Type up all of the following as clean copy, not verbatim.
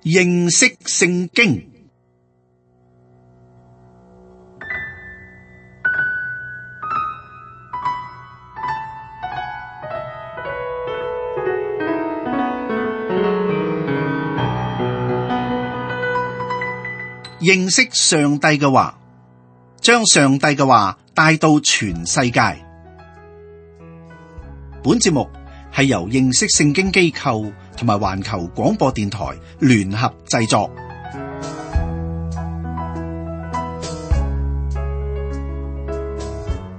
認識聖經。認識上帝嘅話，將上帝嘅話帶到全世界。本節目係由認識聖經機構同埋環球廣播電台聯合製作。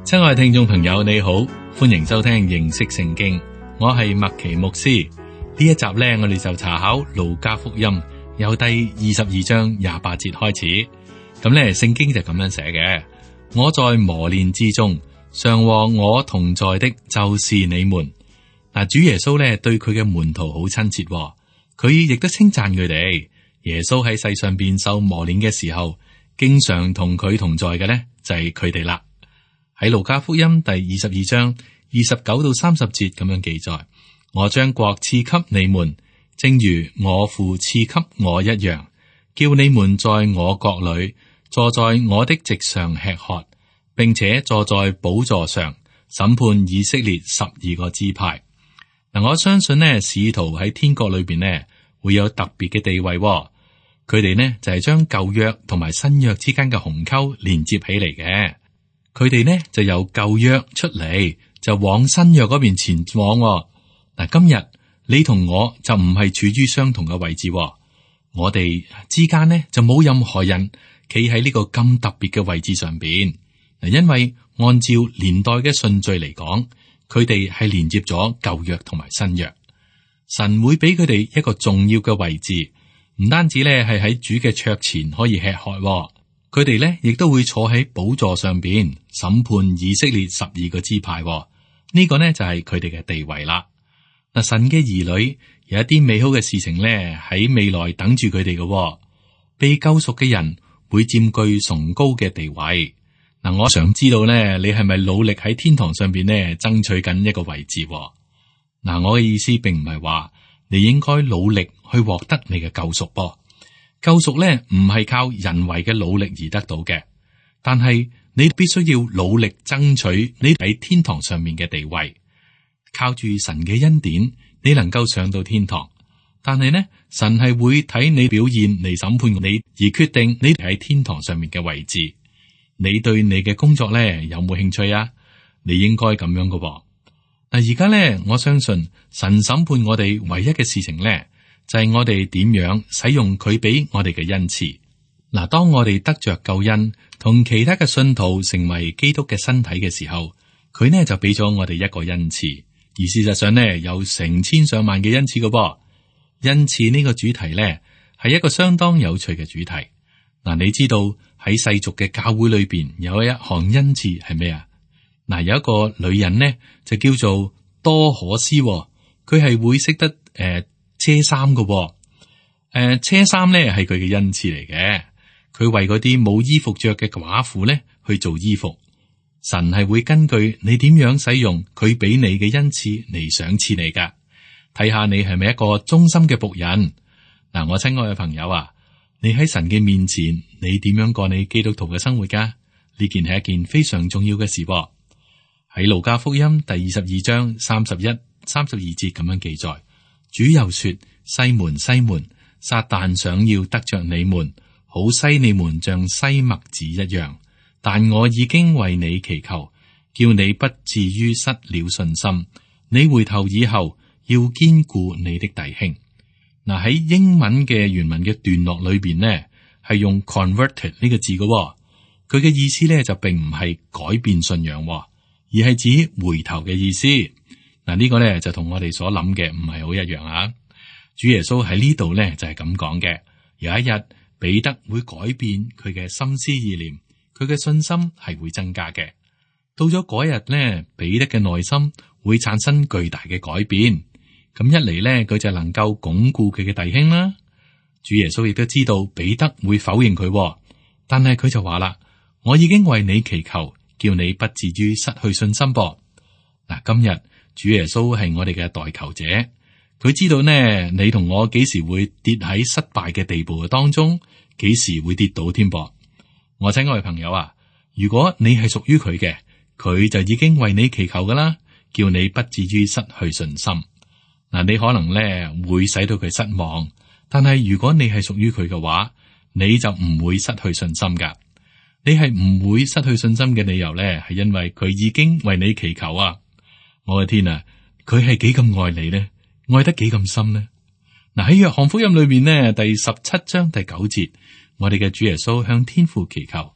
親愛聽眾朋友，你好，歡迎收聽認識聖經。我係麥奇牧師。呢一集呢，我哋就查考路加福音。由第22章28節開始，咁呢聖經就咁樣寫嘅：我在磨練之中，常和我同在的，就是你們。嗱，主耶穌呢對佢嘅門徒好親切，佢亦都稱讚佢哋。耶穌喺世上邊受磨練嘅時候，經常同佢同在嘅呢，就係佢哋啦。喺路加福音第22章29到30節咁樣記載：我將國賜給你們，正如我父賜給我一樣，叫你們在我國裏坐在我的席上吃喝，並且坐在寶座上審判以色列12個支派。嗱，我相信呢，使徒喺天國裏邊呢會有特別嘅地位。佢哋呢就係將舊約同埋新約之間嘅鴻溝連接起嚟嘅。佢哋呢就由舊約出嚟，就往新約嗰邊前往。嗱，今日你同我就唔係處於相同嘅位置，我哋之間呢就冇任何人企喺呢個咁特別嘅位置上邊。嗱，因為按照年代嘅順序嚟講，佢哋係連接咗舊約同埋新約。神會俾佢哋一個重要嘅位置，唔單止咧係喺主嘅桌前可以吃喝，佢哋咧亦都會坐喺寶座上邊審判以色列12個支派。呢個呢就係佢哋嘅地位啦。嗱，神嘅兒女有一啲美好嘅事情咧喺未來等住佢哋嘅，被救贖嘅人會佔據崇高嘅地位。嗱，我想知道咧，你係咪努力喺天堂上邊咧爭取緊一個位置？嗱，我嘅意思並唔係話你應該努力去獲得你嘅救贖噃。救贖咧唔係靠人為嘅努力而得到嘅，但係你必須要努力爭取你喺天堂上面嘅地位。靠住神嘅恩典，你能夠上到天堂，但係呢，神係會睇你表現嚟審判你，而決定你喺天堂上面嘅位置。你對你嘅工作呢有冇興趣啊？你應該咁樣㗎喎。嗱，而家呢，我相信神審判我哋唯一嘅事情呢，就係我哋點樣使用佢俾我哋嘅恩賜。嗱，當我哋得着救恩，同其他嘅信徒成為基督嘅身體嘅時候，佢呢就俾咗我哋一個恩賜。而事實上呢，有成千上萬嘅恩賜嘅噃。恩賜呢個主題呢，係一個相當有趣嘅主題。嗱，你知道喺世俗嘅教會裏邊有一項恩賜係咩啊？嗱，有一個女人呢，就叫做多可斯，佢係會識得車衫嘅。車衫呢係佢嘅恩賜嚟嘅。佢為嗰啲冇衣服着嘅寡婦呢去做衣服。神係會根據你點樣使用佢俾你嘅恩賜嚟賞賜你噶，睇下你係咪一個忠心嘅僕人。嗱，我親愛嘅朋友啊，你喺神嘅面前，你點樣過你基督徒嘅生活噶？呢件係一件非常重要嘅事噃。喺路加福音第22章31、32節咁樣記載，主又說：西門，西門，撒旦想要得着你們，好篩你們像篩麥子一樣。但我已經為你祈求，叫你不至於失了信心。你回頭以後，要堅固你的弟兄。嗱，喺英文嘅原文嘅段落裏邊呢，係用 converted 呢個字嘅。佢嘅意思呢，就並唔係改變信仰，而係指回頭嘅意思。嗱，呢個呢，就同我哋所諗嘅唔係好一樣啊。主耶穌喺呢度呢，就係咁講嘅。有一日，彼得會改變佢嘅心思意念。佢嘅信心係會增加嘅。到咗嗰日呢，彼得嘅內心會產生巨大嘅改變。咁一嚟呢，佢就能夠鞏固佢嘅弟兄啦。主耶穌亦都知道彼得會否認佢，但係佢就話啦：我已經為你祈求，叫你不至於失去信心噃。嗱，今日主耶穌係我哋嘅代求者，佢知道呢，你同我幾時會跌喺失敗嘅地步嘅當中，幾時會跌倒添噃。我親愛嘅朋友啊，如果你係屬於佢嘅，佢就已經為你祈求噶啦，叫你不至於失去信心。嗱，你可能呢會使到佢失望，但係如果你係屬於佢嘅話，你就唔會失去信心噶。你係唔會失去信心嘅理由呢，係因為佢已經為你祈求啊！我嘅天啊，佢係幾咁愛你呢？愛得幾咁深呢？嗱，喺約翰福音裏面呢，第17章第9節，我哋嘅主耶穌向天父祈求：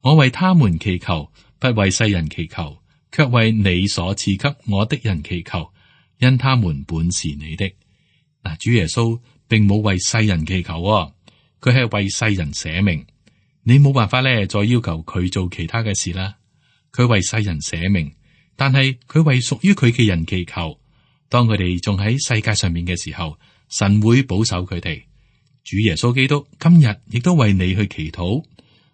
我為他們祈求，不為世人祈求，卻為你所賜給我的人祈求，因他們本是你的。嗱，主耶穌並冇為世人祈求，佢係為世人捨命。你冇辦法咧，再要求佢做其他嘅事啦。佢為世人捨命，但係佢為屬於佢嘅人祈求。當佢哋仲喺世界上面嘅時候，神會保守佢哋。主耶穌基督今日亦都為你去祈禱，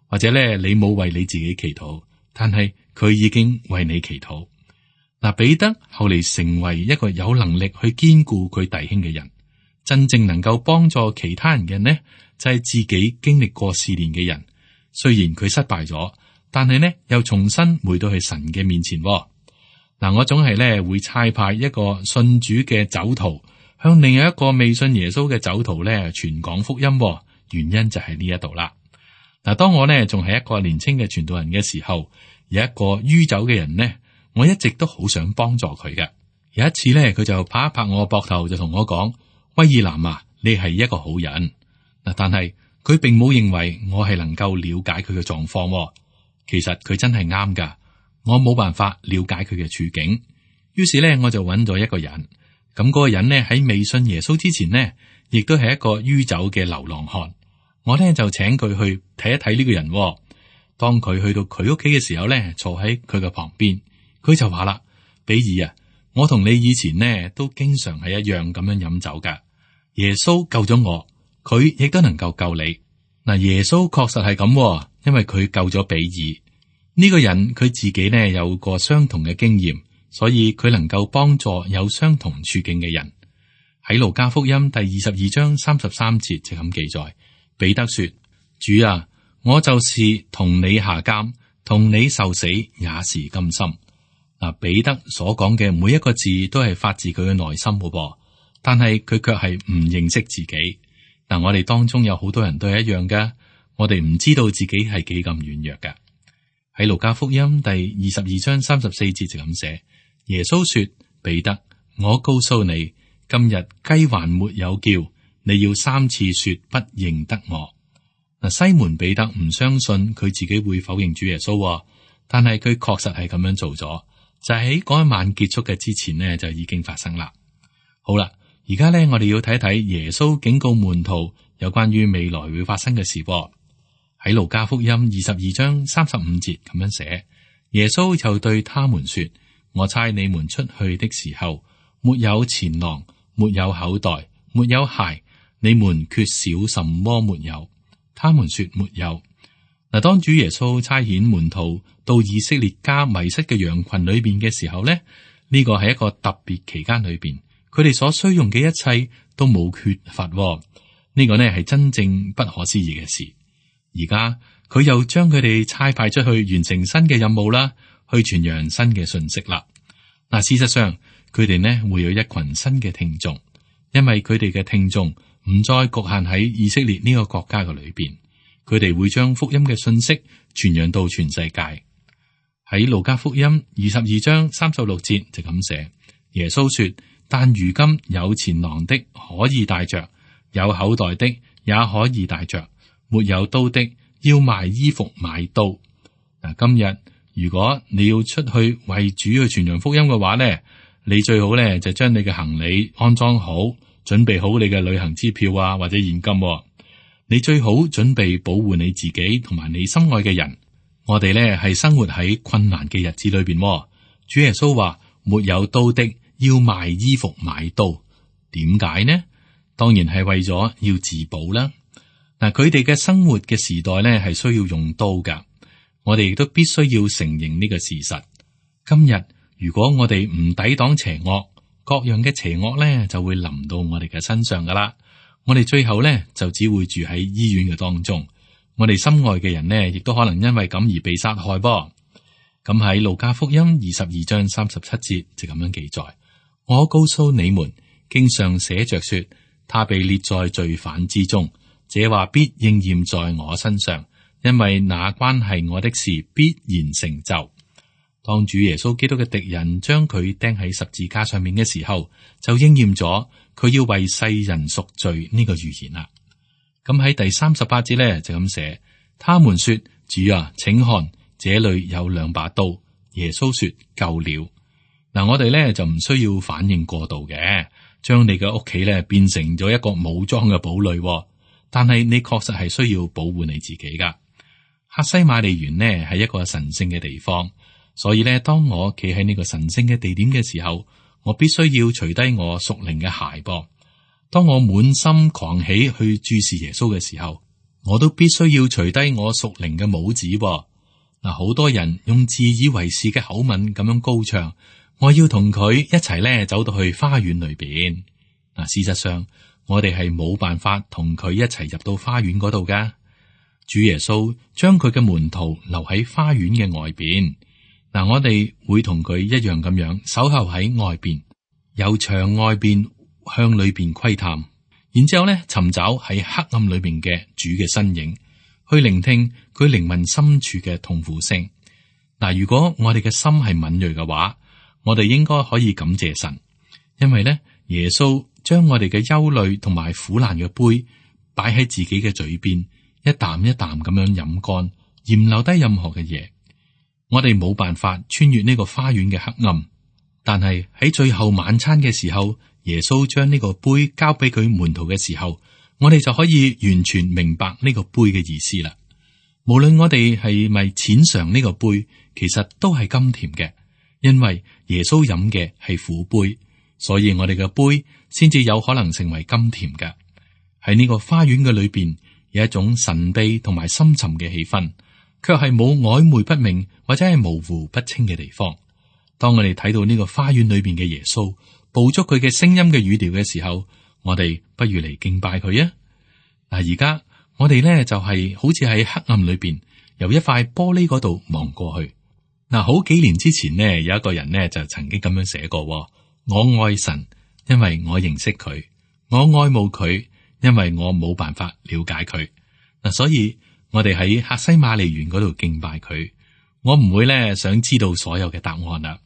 或者咧你冇為你自己祈禱，但係佢已經為你祈禱。嗱，彼得後嚟成為一個有能力去堅固佢弟兄嘅人，真正能夠幫助其他人嘅呢，就係自己經歷過試煉嘅人。雖然佢失敗咗，但係呢又重新回到去神嘅面前。嗱，我總係咧會差派一個信主嘅酒徒向另一個未信耶穌嘅酒徒咧傳講福音。原因就係呢一度啦。嗱，當我呢仲係一個年輕嘅傳道人嘅時候，有一個酗酒嘅人呢，我一直都好想幫助佢嘅。有一次呢，佢就拍一拍我膊頭，就同我講：威爾南啊，你係一個好人。嗱，但係佢並冇認為我係能夠了解佢嘅狀況。其實佢真係啱噶，我冇辦法了解佢嘅處境。於是呢，我就揾咗一個人。咁嗰個人呢，喺未信耶穌之前呢，亦都係一個酗酒嘅流浪漢。我呢就請佢去睇一睇呢個人。當佢去到佢屋企嘅時候呢，坐喺佢嘅旁邊，佢就話啦：比爾啊，我同你以前呢都經常係一樣咁樣飲酒噶。耶穌救咗我，佢亦都能夠救你。嗱，耶穌確實係咁，因為佢救咗比爾呢個人，佢自己呢有過相同嘅經驗，所以佢能夠幫助有相同處境嘅人。喺路加福音第22章33節就咁記載，彼得說：主啊，我就是同你下監，同你受死，也是甘心。嗱，彼得所講嘅每一個字都係發自佢嘅內心嘅噃，但係佢卻係唔認識自己。嗱，我哋當中有好多人都係一樣噶，我哋唔知道自己係幾咁軟弱噶。喺路加福音第22章34節就咁寫，耶穌說：彼得，我告訴你，今日雞還沒有叫，你要3次說不認得我。嗱，西門彼得唔相信佢自己會否認主耶穌，但係佢確實係咁樣做咗，就喺嗰一晚結束嘅之前呢，就已經發生啦。好啦，而家呢，我哋要睇一睇耶穌警告門徒有關於未來會發生嘅事。喺路加福音22章35節咁樣寫，耶穌就對他們說：我差你們出去的時候，沒有錢囊，沒有口袋，沒有鞋，你們缺少什麼沒有？他們說沒有。嗱，當主耶穌差遣門徒到以色列家迷失嘅羊群裏邊嘅時候呢，呢個係一個特別期間裏邊，佢哋所需用嘅一切都冇缺乏。呢個呢係真正不可思議嘅事。而家佢又將佢哋差派出去完成新嘅任務啦，去傳揚新嘅信息啦。嗱，事實上佢哋呢會有一群新嘅聽眾，因為佢哋嘅聽眾唔再局限喺以色列呢個國家嘅裏邊，佢哋會將福音嘅信息傳揚到全世界。喺路加福音22章36節就咁寫，耶穌說：但如今有錢囊的可以帶着，有口袋的也可以帶着，沒有刀的要賣衣服買刀。嗱，今日如果你要出去為主去傳揚福音嘅話呢，你最好呢就將你嘅行李安裝好，準備好你嘅旅行支票啊，或者現金。你最好準備保護你自己同埋你心愛嘅人。我哋呢係生活喺困難嘅日子裏邊。主耶穌話：沒有刀的要賣衣服買刀。點解呢？當然係為咗要自保啦。嗱，佢哋嘅生活嘅時代呢係需要用刀噶。我哋亦都必須要承認呢個事實。今日如果我哋唔抵擋邪惡，各樣嘅邪惡咧就會臨到我哋嘅身上噶啦。我哋最後咧就只會住喺醫院嘅當中。我哋心愛嘅人呢，亦都可能因為咁而被殺害噃。咁喺路加福音22章37節就咁樣記載：我告訴你們，經上寫着說，他被列在罪犯之中。這話必應驗在我身上，因為那關係我的事必然成就。當主耶穌基督嘅敵人將佢釘喺十字架上面嘅時候，就應驗咗佢要為世人贖罪呢個預言啦。咁喺第38節咧就咁寫：他們說，主啊，請看，這裏有兩把刀。耶穌說，夠了。嗱，我哋咧就唔需要反應過度嘅，將你嘅屋企咧變成咗一個武裝嘅堡壘。但係你確實係需要保護你自己噶。客西馬尼園呢係一個神聖嘅地方，所以咧，當我企喺呢個神聖嘅地點嘅時候，我必須要除低我屬靈嘅鞋噃。當我滿心狂喜去注視耶穌嘅時候，我都必須要除低我屬靈嘅帽子噃。嗱，好多人用自以為是嘅口吻咁樣高唱，我要同佢一齊咧走到去花園裏邊。嗱，事實上，我哋係冇辦法同佢一齊入到花園嗰度噶。主耶穌將佢嘅門徒留喺花園嘅外邊。嗱，我哋會同佢一樣咁樣守候喺外邊，由牆外邊向裏邊窺探，然之後咧尋找喺黑暗裏邊嘅主嘅身影，去聆聽佢靈魂深處嘅痛苦聲。嗱，如果我哋嘅心係敏銳嘅話，我哋應該可以感謝神，因為咧耶穌將我哋嘅憂慮同埋苦難嘅杯擺喺自己嘅嘴邊，一啖一啖咁樣飲乾，而唔留低任何嘅嘢。我哋冇辦法穿越呢個花園嘅黑暗，但係喺最後晚餐嘅時候，耶穌將呢個杯交俾佢門徒嘅時候，我哋就可以完全明白呢個杯嘅意思啦。無論我哋係咪淺嘗呢個杯，其實都係甘甜嘅，因為耶穌飲嘅係苦杯。所以我哋嘅杯先至有可能成為甘甜嘅。喺呢個花園嘅裏邊，有一種神秘同埋深沉嘅氣氛，卻係冇曖昧不明或者係模糊不清嘅地方。當我哋睇到呢個花園裏邊嘅耶穌，捕捉佢嘅聲音嘅語調嘅時候，我哋不如嚟敬拜佢啊！嗱，而家我哋咧就係好似喺黑暗裏邊，由一塊玻璃嗰度望過去。嗱，好幾年之前呢，有一個人呢就曾經咁樣寫過。我愛神，因為我認識佢；我愛慕佢，因為我冇辦法了解佢。嗱，所以我哋喺客西馬尼園嗰度敬拜佢。我唔會咧想知道所有嘅答案啦。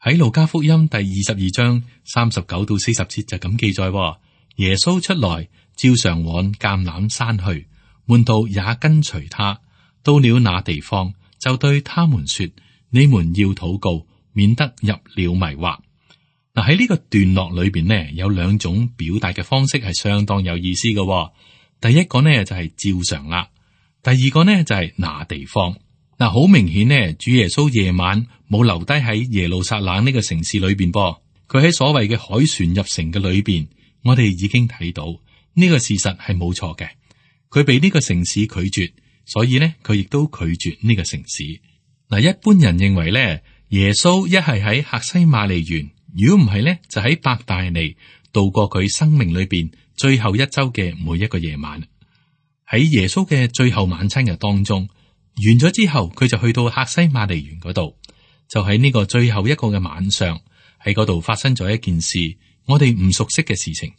喺路加福音第22章39到40節就咁記載：耶穌出來，照常往橄欖山去，門徒也跟隨他。到了那地方，就對他們說：你們要禱告，免得入了迷惑。嗱，喺呢個段落裏邊呢，有兩種表達嘅方式係相當有意思嘅。第一個呢就係照常啦，第二個呢就係那地方。嗱，好明顯呢，主耶穌夜晚冇留低喺耶路撒冷呢個城市裏邊噃，佢喺所謂嘅海船入城嘅裏邊，我哋已經睇到呢個事實係冇錯嘅。佢被呢個城市拒絕，所以呢佢亦都拒絕呢個城市。嗱，一般人認為呢，耶穌一係喺客西馬尼園。如果唔係咧，就喺伯大尼度過佢生命裏邊最後一周嘅每一個夜晚。喺耶穌嘅最後晚餐嘅當中，完咗之後，佢就去到客西馬尼園嗰度。就喺呢個最後一個嘅晚上，喺嗰度發生咗一件事，我哋唔熟悉嘅事情。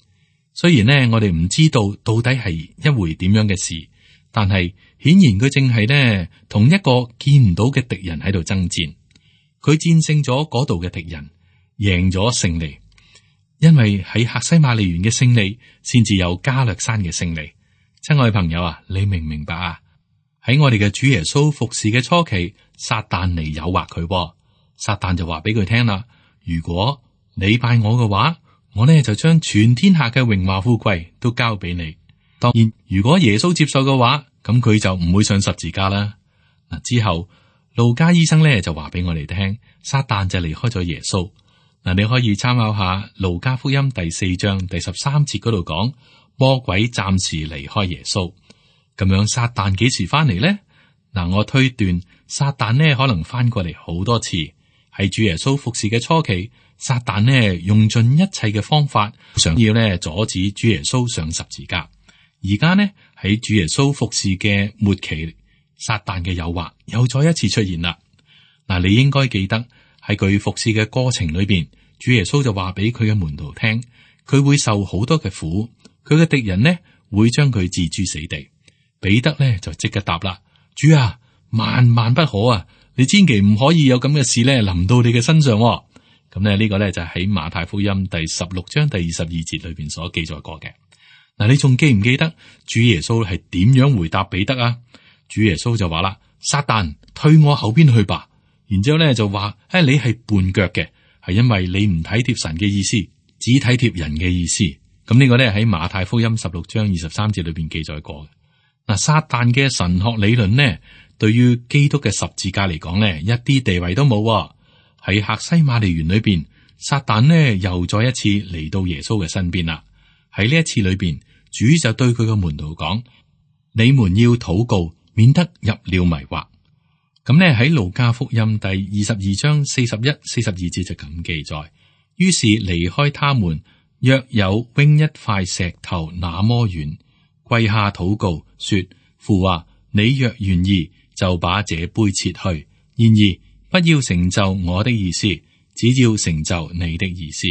雖然呢，我哋唔知道到底係一回點樣嘅事，但係顯然佢正係呢同一個見唔到嘅敵人喺度爭戰。佢戰勝咗嗰度嘅敵人。贏咗勝利，因為喺客西馬尼園嘅勝利，先至有加略山嘅勝利。親愛朋友啊，你明唔明白啊？喺我哋嘅主耶穌服侍嘅初期，撒旦嚟誘惑佢，撒旦就話俾佢聽啦：如果你拜我嘅話，我呢就將全天下嘅榮華富貴都交俾你。當然，如果耶穌接受嘅話，咁佢就唔會上十字架啦。嗱，之後路加醫生呢就話俾我哋聽，撒旦就離開咗耶穌。嗱，你可以參考下路加福音第4章第13節嗰度講，魔鬼暫時離開耶穌。咁樣撒旦幾時翻嚟呢？嗱，我推斷撒旦呢可能翻過嚟好多次。喺主耶穌服侍嘅初期，撒旦呢用盡一切嘅方法，想要呢阻止主耶穌上十字架。而家呢喺主耶穌服侍嘅末期，撒旦嘅誘惑又再一次出現啦。嗱，你應該記得喺佢服侍嘅過程裏邊，主耶穌就話俾佢嘅門徒聽，佢會受好多嘅苦，佢嘅敵人呢會將佢置諸死地。彼得呢就即刻答啦：主啊，萬萬不可啊！你千祈唔可以有咁嘅事咧臨到你嘅身上。咁咧呢個咧就喺馬太福音第16章第22節裏邊所記載過嘅。嗱，你仲記唔記得主耶穌係點樣回答彼得啊？主耶穌就話啦：撒旦，退我後邊去吧。然之後咧就話：你係絆腳嘅，係因為你唔體貼神嘅意思，只體貼人嘅意思。咁呢個咧喺馬太福音16章23節裏邊記載過嘅。嗱，撒旦嘅神學理論呢，對於基督嘅十字架嚟講呢，一啲地位都冇。喺客西馬尼園裏邊，撒旦呢又再一次嚟到耶穌嘅身邊啦。喺呢一次裏邊，主就對佢嘅門徒講：你們要禱告，免得入了迷惑。咁呢喺路加福音第22章41、42節就咁記載。於是離開他們，約有扔一塊石頭那麼遠，跪下禱告，說：父啊，你若願意，就把這杯撤去。然而不要成就我的意思，只要成就你的意思。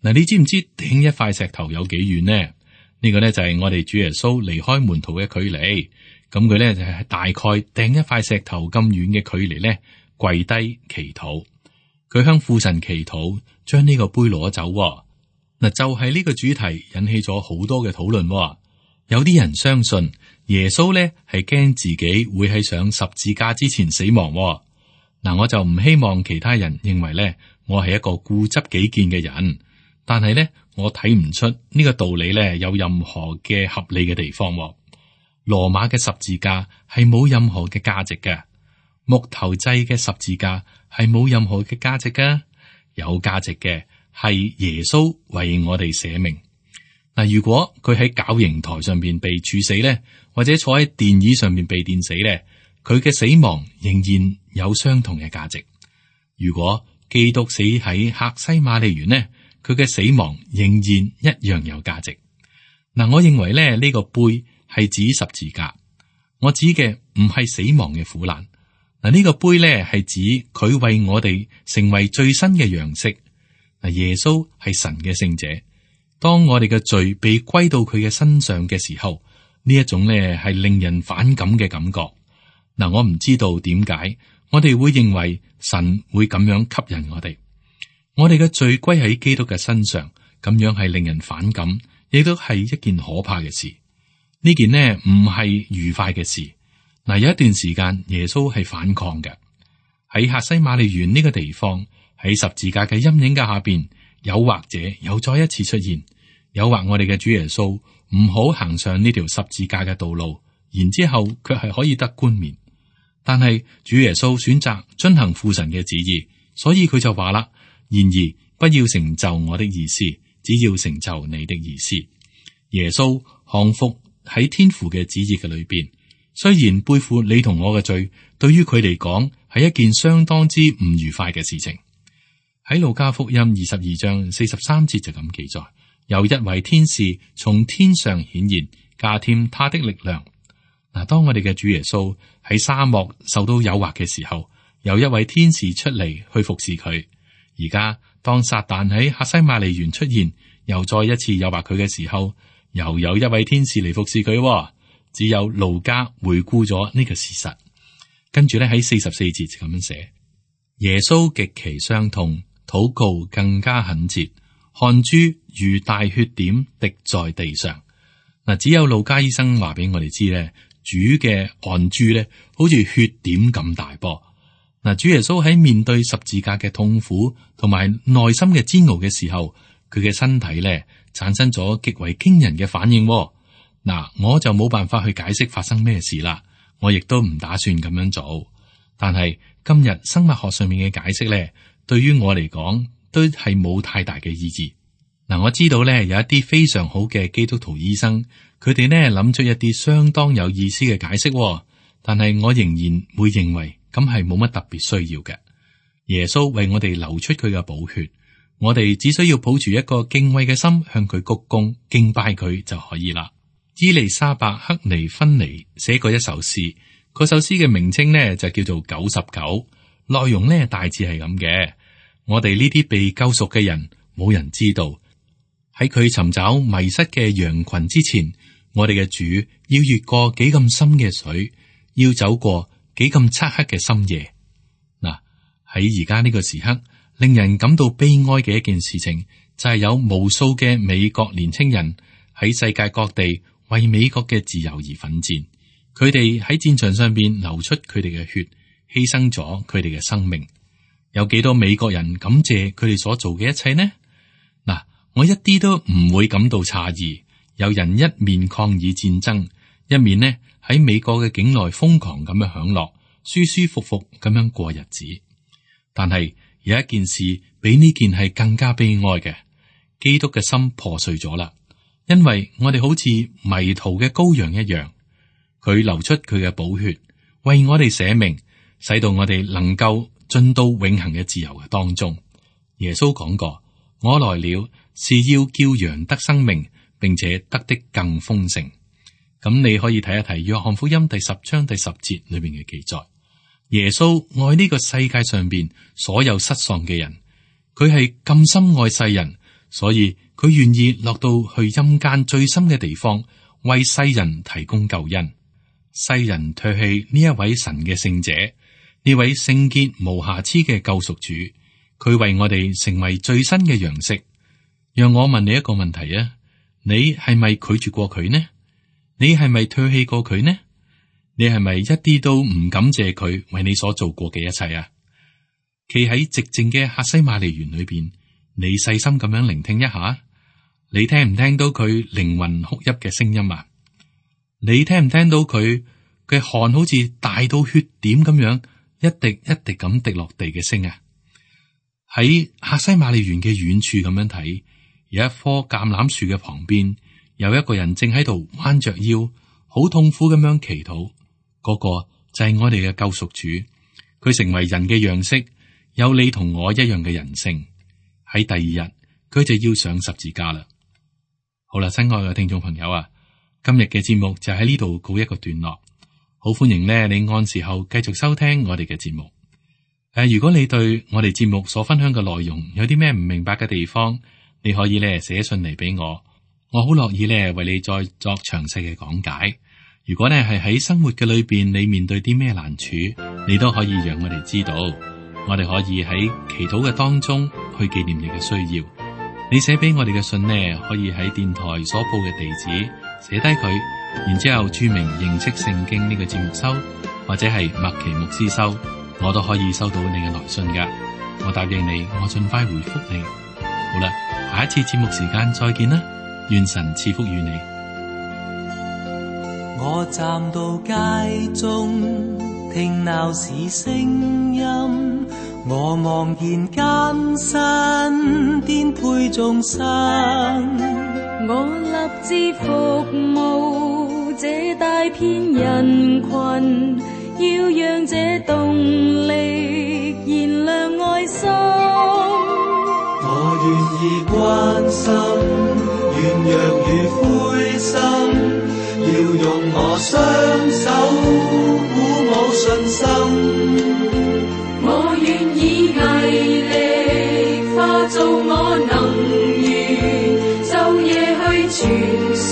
嗱，你知唔知掟一塊石頭有幾遠呢？呢個呢就係我哋主耶穌離開門徒嘅距離。咁佢呢就係大概掟一塊石頭咁遠嘅距離呢，跪低祈禱。佢向父神祈禱，將呢個杯攞走。嗱，就係呢個主題引起咗好多嘅討論。有啲人相信耶穌呢係驚自己會喺上十字架之前死亡。嗱，我就唔希望其他人認為咧，我係一個固執己見嘅人。但係咧，我睇唔出呢個道理咧有任何嘅合理嘅地方。羅馬嘅十字架係冇任何嘅價值嘅，木頭製嘅十字架係冇任何嘅價值嘅。有價值嘅係耶穌為我哋捨命。嗱，如果佢喺絞刑台上邊被處死咧，或者坐喺電椅上邊被電死咧，佢嘅死亡仍然有相同嘅價值。如果基督死喺客西馬尼園呢，佢嘅死亡仍然一樣有價值。嗱，我認為咧呢個杯係指十字架，我指嘅唔係死亡嘅苦難。嗱，呢個杯咧係指佢為我哋成為最新嘅樣式。嗱，耶穌係神嘅聖者，當我哋嘅罪被歸到佢嘅身上嘅時候，呢一種咧係令人反感嘅感覺。嗱，我唔知道點解我哋會認為神會咁樣吸引我哋。我哋嘅罪歸喺基督嘅身上，咁樣係令人反感，亦都係一件可怕嘅事。呢件呢唔係愉快嘅事。嗱，有一段時間耶穌係反抗嘅，喺客西馬尼園呢個地方，喺十字架嘅陰影嘅下邊，誘惑者又再一次出現，誘惑我哋嘅主耶穌唔好行上呢條十字架嘅道路，然之後卻係可以得冠冕。但係主耶穌選擇遵行父神嘅旨意，所以佢就話啦：然而不要成就我的意思，只要成就你的意思。耶穌降服喺天父嘅旨意嘅裏邊，雖然背負你同我嘅罪，對於佢嚟講係一件相當之唔愉快嘅事情。喺路加福音22章43節就咁記載：有一位天使從天上顯現，加添他的力量。嗱，當我哋嘅主耶穌喺沙漠受到誘惑嘅時候，有一位天使出嚟去服侍佢。而家當撒旦喺客西馬尼園出現，又再一次誘惑佢嘅時候，又有一位天使嚟服侍佢。只有路加回顧咗呢個事實，跟住咧喺44節就咁樣寫：耶穌極其傷痛，禱告更加懇切，汗珠如大血點滴在地上。嗱，只有路加醫生話俾我哋知咧，主嘅汗珠咧好似血點咁大噃。嗱，主耶穌喺面對十字架嘅痛苦同埋內心嘅煎熬嘅時候，佢嘅身體咧產生咗極為驚人嘅反應。嗱，我就冇辦法去解釋發生咩事啦，我亦都唔打算咁樣做。但係今日生物學上面嘅解釋咧，對於我嚟講都係冇太大嘅意義。嗱，我知道咧有一啲非常好嘅基督徒醫生，佢哋呢諗出一啲相當有意思嘅解釋，但係我仍然會認為咁係冇乜特別需要嘅。耶穌為我哋流出佢嘅寶血，我哋只需要抱住一個敬畏嘅心，向佢鞠躬敬拜佢就可以啦。伊麗莎白克尼芬尼寫過一首詩，嗰首詩嘅名稱呢就叫做99，內容呢大致係咁嘅。我哋呢啲被救贖嘅人，冇人知道喺佢尋找迷失嘅羊群之前，我哋嘅主要越過幾咁深嘅水，要走過幾咁漆黑嘅深夜。嗱，喺而家呢個時刻，令人感到悲哀嘅一件事情，就係有無數嘅美國年青人喺世界各地為美國嘅自由而奮戰。佢哋喺戰場上邊流出佢哋嘅血，犧牲咗佢哋嘅生命。有幾多美國人感謝佢哋所做嘅一切呢？嗱，我一啲都唔會感到詫異。有人一面抗議戰爭，一面呢喺美國嘅境內瘋狂咁樣享樂，舒舒服服咁樣過日子。但係有一件事比呢件係更加悲哀嘅，基督嘅心破碎咗啦。因為我哋好似迷途嘅羔羊一樣，佢流出佢嘅寶血，為我哋捨命，使到我哋能夠進到永恆嘅自由嘅當中。耶穌講過，我來了是要叫羊得生命，並且得的更豐盛。咁你可以睇一睇約翰福音第10章第10節裏面嘅記載。耶穌愛呢個世界上邊所有失喪嘅人，佢係咁深愛世人，所以佢願意落到去陰間最深嘅地方，為世人提供救恩。世人唾棄呢一位神嘅聖者，呢位聖潔無瑕疵嘅救贖主，佢為我哋成為最新嘅樣式。讓我問你一個問題啊，你係咪拒絕過佢呢？你係咪唾棄過佢呢？你係咪一啲都唔感謝佢為你所做過嘅一切啊？企喺寂靜嘅客西馬尼園裏邊，你細心咁樣聆聽一下，你聽唔聽到佢靈魂哭泣嘅聲音啊？你聽唔聽到佢嘅汗好似大到血點咁樣一滴一滴咁滴落地嘅聲啊？喺客西馬尼園嘅遠處咁樣睇，有一棵橄欖樹嘅旁邊，有一個人正喺度彎着腰，好痛苦咁樣祈禱。嗰個就係我哋嘅救贖主，佢成為人嘅樣式，有你同我一樣嘅人性。喺第二日，佢就要上十字架啦。好啦，親愛嘅聽眾朋友啊，今日嘅節目就喺呢度告一個段落。好歡迎呢，你按時候繼續收聽我哋嘅節目。如果你對我哋節目所分享嘅內容有啲咩唔明白嘅地方，你可以咧寫信嚟俾我，我好樂意咧為你再作詳細嘅講解。如果咧係喺生活嘅裏邊，你面對啲咩難處，你都可以讓我哋知道，我哋可以喺祈禱嘅當中去紀念你嘅需要。你寫俾我哋嘅信呢，可以喺電台所報嘅地址寫低佢，然之後注明認識聖經呢個節目收，或者係麥奇牧師收，我都可以收到你嘅來信噶。我答應你，我盡快回覆你。好啦，下一次節目時間再見啦，願神賜福與你。我站到街中，聽鬧市聲音，我望見艱辛顛沛眾生，我立志服務這大片人群，要讓這動力燃亮愛心。我願意關心軟弱與灰心，要用我雙手鼓舞信心。我願意毅力化做我能源，晝夜去傳送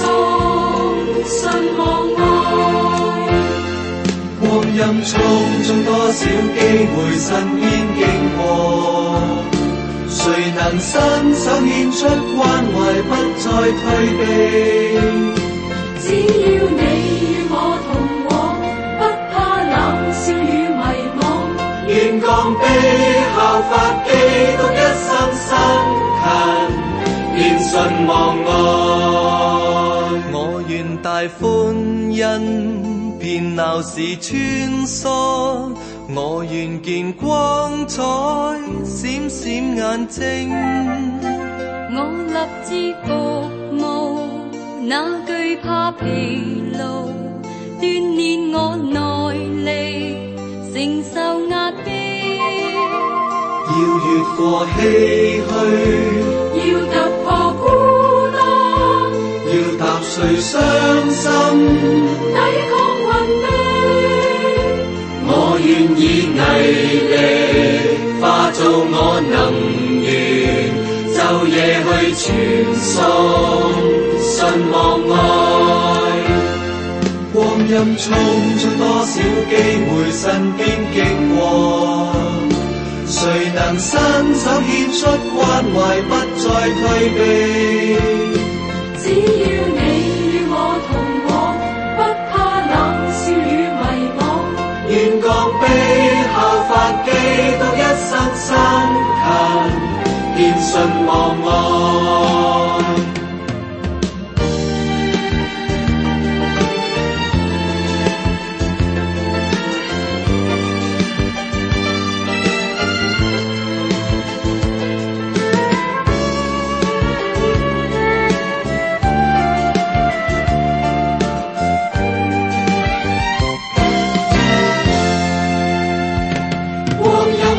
信望愛。光陰匆匆，多少機會身邊經過，誰能伸手獻出關懷，不再退避。只要你與我同往，不怕冷笑與迷惘。願降卑效法基督，一生辛勤，便信望愛。我願大歡欣，遍鬧市穿梭。我願見光彩，閃閃眼睛。我立志服務，哪懼怕疲勞，鍛鍊我耐力，承受壓迫。要越過唏噓，要突破孤單，要踏碎傷心，抵抗運命。我願以毅力化做我能源，晝夜去傳送信望愛。光陰匆匆，多少機會身邊經過，誰能伸手獻出關懷，不再退避？只要你與我同往，不怕冷笑與迷惘。願降卑效法基督，一生辛勤獻信望愛。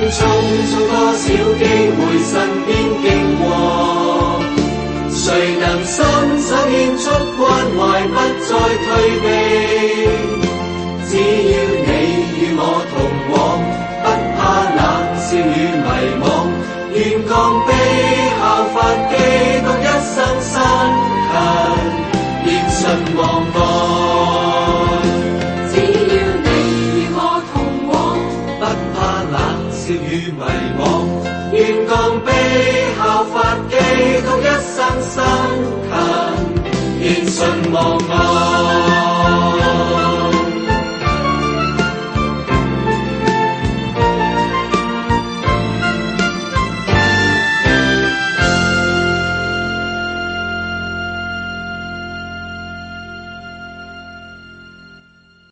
匆匆多少機會身邊經過，誰能伸手獻出關懷，不再退避？只要你與我同往，不怕冷笑與迷惘。願降卑效法基督，一生辛勤獻信望愛。只要你與我同往，不怕冷笑與迷惘，願降卑效法基督，一生辛勤獻信望愛。